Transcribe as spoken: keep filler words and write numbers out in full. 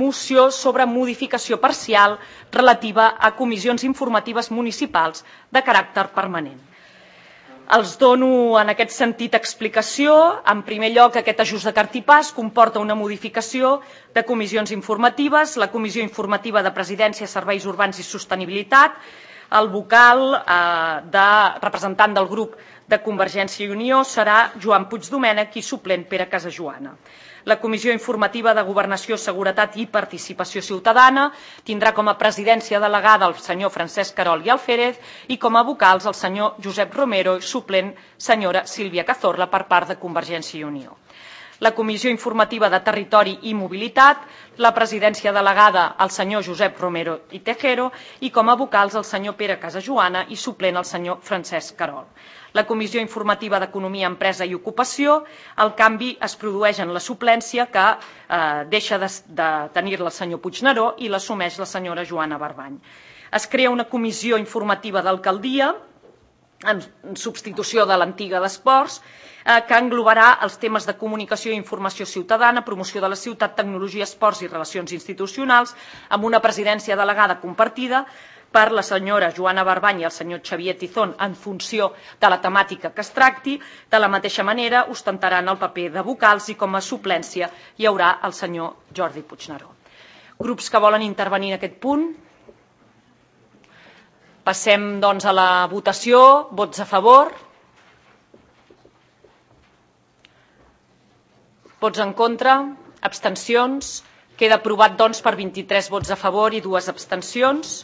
moció sobre modificació parcial relativa a comissions informatives municipals de caràcter permanent. Els dono en aquest sentit explicació. En primer lloc, aquest ajust de cartipàs comporta una modificació de comissions informatives. La Comissió Informativa de Presidència, Serveis Urbans i Sostenibilitat, el vocal eh, de representant del grup de Convergència i Unió serà Joan Puigdomènech i suplent Pere Casajoana. La Comissió Informativa de Governació, Seguretat i Participació Ciutadana tindrà com a presidència delegada el senyor Francesc Querol i Alférez i com a vocals el senyor Josep Romero i suplent senyora Sílvia Cazorla per part de Convergència i Unió. La Comissió Informativa de Territori i Mobilitat, la presidència delegada al senyor Josep Romero i Tejero i com a vocals el senyor Pere Casajoana i suplent el senyor Francesc Querol. La Comissió Informativa d'Economia, Empresa i Ocupació, el canvi es produeix en la suplència que eh, deixa de, de tenir-la el senyor Puigneró i l'assumeix la senyora Joana Barbany. Es crea una comissió informativa d'alcaldia en substitució de l'antiga d'esports, eh, que englobarà els temes de comunicació i informació ciutadana, promoció de la ciutat, tecnologia, esports i relacions institucionals, amb una presidència delegada compartida per la senyora Joana Barbany i el senyor Xavier Tizón en funció de la temàtica que es tracti. De la mateixa manera, ostentaran el paper de vocals i com a suplència hi haurà el senyor Jordi Puigneró. Grups que volen intervenir en aquest punt? Passem, doncs, a la votació. Vots a favor? Vots en contra? Abstencions? Queda aprovat, doncs, per vint-i-tres vots a favor i dues abstencions.